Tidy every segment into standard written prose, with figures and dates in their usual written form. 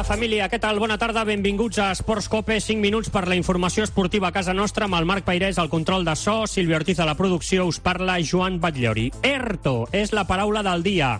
Hola, família, què tal? Bona tarda, benvinguts a Esports Cope. 5 minuts per la informació esportiva a casa nostra, amb el Marc Peirés al control de so, Sílvia Ortiz a la producció, us parla Joan Batllori. ERTO és la paraula del dia.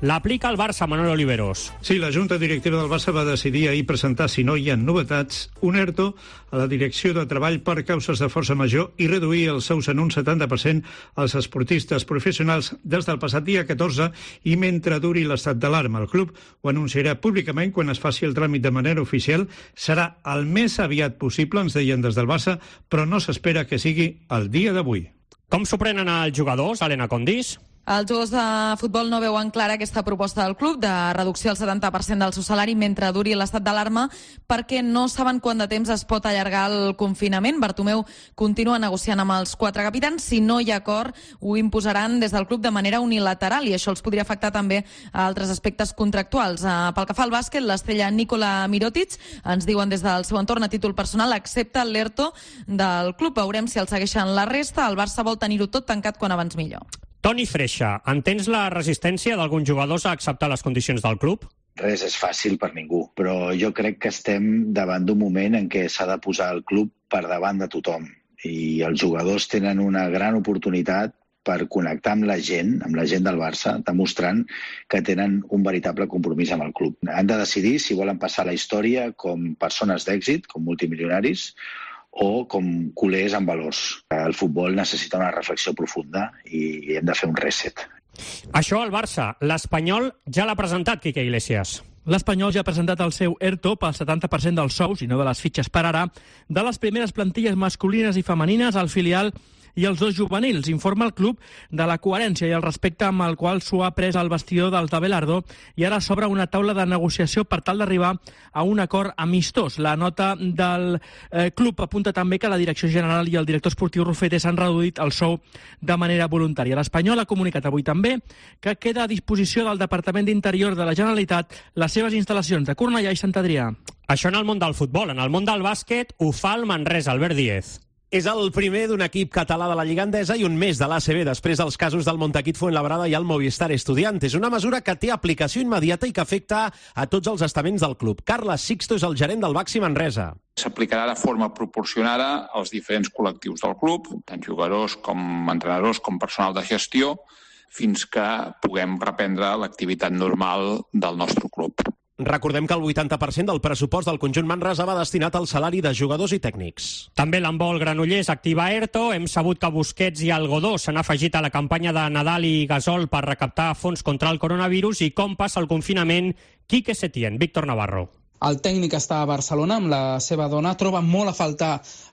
L'aplica el Barça, Manuel Oliveros. Sí, la Junta Directiva del Barça va decidir ahir presentar, si no hi ha novetats, un ERTO a la Direcció de Treball per causes de força major i reduir els sous en un 70% als esportistes professionals des del passat dia 14 i mentre duri l'estat d'alarma. El club ho anunciarà públicament quan es faci el tràmit de manera oficial. Serà el més aviat possible, ens deien des del Barça, però no s'espera que sigui el dia d'avui. Com s'ho prenen els jugadors, Helena Condís? Els jugadors de futbol no veuen clara aquesta proposta del club de reducció al 70% del seu salari mentre duri l'estat d'alarma perquè no saben quant de temps es pot allargar el confinament. Bartomeu continua negociant amb els 4 capitans. Si no hi ha acord, ho imposaran des del club de manera unilateral i això els podria afectar també a altres aspectes contractuals. Pel que fa al bàsquet, l'estrella Nikola Mirotic, ens diuen des del seu entorn a títol personal, accepta l'ERTO del club. Veurem si el segueixen la resta. El Barça vol tenir-ho tot tancat quan abans millor. Toni Freixa, entens la resistència d'alguns jugadors a acceptar les condicions del club? Res és fàcil per ningú, però jo crec que estem davant d'un moment en què s'ha de posar el club per davant de tothom. I els jugadors tenen una gran oportunitat per connectar amb la gent del Barça, demostrant que tenen un veritable compromís amb el club. Han de decidir si volen passar la història com persones d'èxit, com multimilionaris, o com culers amb valors. El futbol necessita una reflexió profunda i hem de fer un reset. Això al Barça. L'Espanyol ja l'ha presentat, Quique Iglesias. L'Espanyol ja ha presentat el seu ERTO pel 70% dels sous, i no de les fitxes per ara, de les primeres plantilles masculines i femenines al filial i els 2 juvenils. Informa el club de la coherència i el respecte amb el qual s'ho ha pres el vestidor dels de Belardo i ara s'obre una taula de negociació per tal d'arribar a un acord amistós. La nota del club apunta també que la direcció general i el director esportiu Rufete s'han reduït el sou de manera voluntària. L'Espanyol ha comunicat avui també que queda a disposició del Departament d'Interior de la Generalitat les seves instal·lacions de Cornellà i Sant Adrià. Això en el món del futbol. En el món del bàsquet ho fa el Manresa, Albert Díez. És el primer d'un equip català de la Lliga Endesa i un més de l'ACB després dels casos del Montaquit Fuenlabrada i el Movistar Estudiantes. Una mesura que té aplicació immediata i que afecta a tots els estaments del club. Carles Sixto és el gerent del Baxi Manresa. S'aplicarà de forma proporcionada als diferents col·lectius del club, tant jugadors com entrenadors com personal de gestió, fins que puguem reprendre l'activitat normal del nostre club. Recordem que el 80% del pressupost del conjunt Manresa va destinat al salari de jugadors i tècnics. També l'handbol Granollers activa ERTO. Hem sabut que Busquets i Algodó s'han afegit a la campanya de Nadal i Gasol per recaptar fons contra el coronavirus i com passa el confinament Quique Setién. Víctor Navarro. El tècnic està a Barcelona amb la seva dona. Troba molt a faltar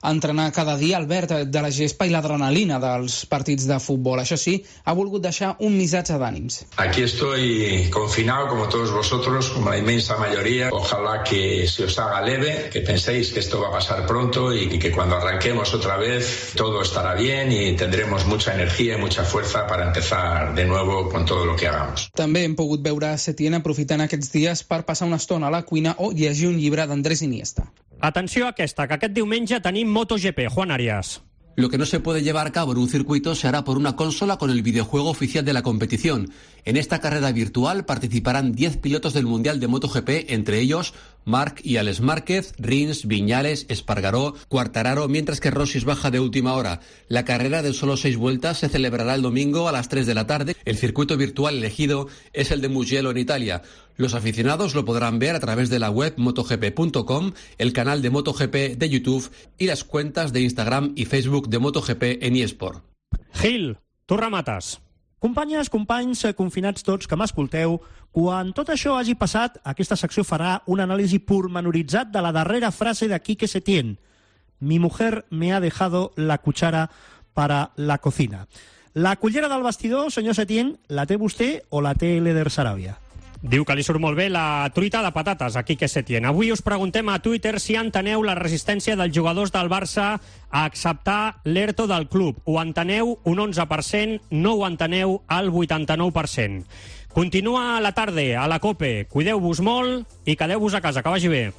entrenar cada dia el verd de la gespa i l'adrenalina dels partits de futbol. Això sí, ha volgut deixar un missatge d'ànims. Aquí estoy confinado como todos vosotros, como la inmensa mayoría. Ojalá que se os haga leve, que penséis que esto va a pasar pronto y que cuando arranquemos otra vez todo estará bien y tendremos mucha energía y mucha fuerza para empezar de nuevo con todo lo que hagamos. També hem pogut veure Setién aprofitant aquests dies per passar una estona a la cuina o llegir un llibre d'Andrés Iniesta. Atenció a aquesta, que aquest diumenge tenim MotoGP. Juan Arias. Lo que no se puede llevar a cabo en un circuito se hará por una consola con el videojuego oficial de la competición. En esta carrera virtual participarán 10 pilotos del Mundial de MotoGP, entre ellos Marc y Alex Márquez, Rins, Viñales, Espargaró, Quartararo, mientras que Rossi baja de última hora. La carrera de solo 6 vueltas se celebrará el domingo a las 3 de la tarde. El circuito virtual elegido es el de Mugello en Italia. Los aficionados lo podrán ver a través de la web motogp.com, el canal de MotoGP de YouTube y las cuentas de Instagram y Facebook de MotoGP en eSport. Gil, tu remates. Companyes, companys, confinats tots que m'escolteu, quan tot això hagi passat, aquesta secció farà un anàlisi pormenoritzat de la darrera frase de Quique Setién. Mi mujer me ha dejado la cuchara para la cocina. La cullera del vestidor, senyor Setién, la té vostè o la té l'Eder Saràbia? Diu que li surt molt bé la truita de patates a Quique Setién. Avui us preguntem a Twitter si enteneu la resistència dels jugadors del Barça a acceptar l'ERTO del club. Ho enteneu un 11%, no ho enteneu al 89%. Continua la tarda a la COPE. Cuideu-vos molt i quedeu-vos a casa. Que vagi bé.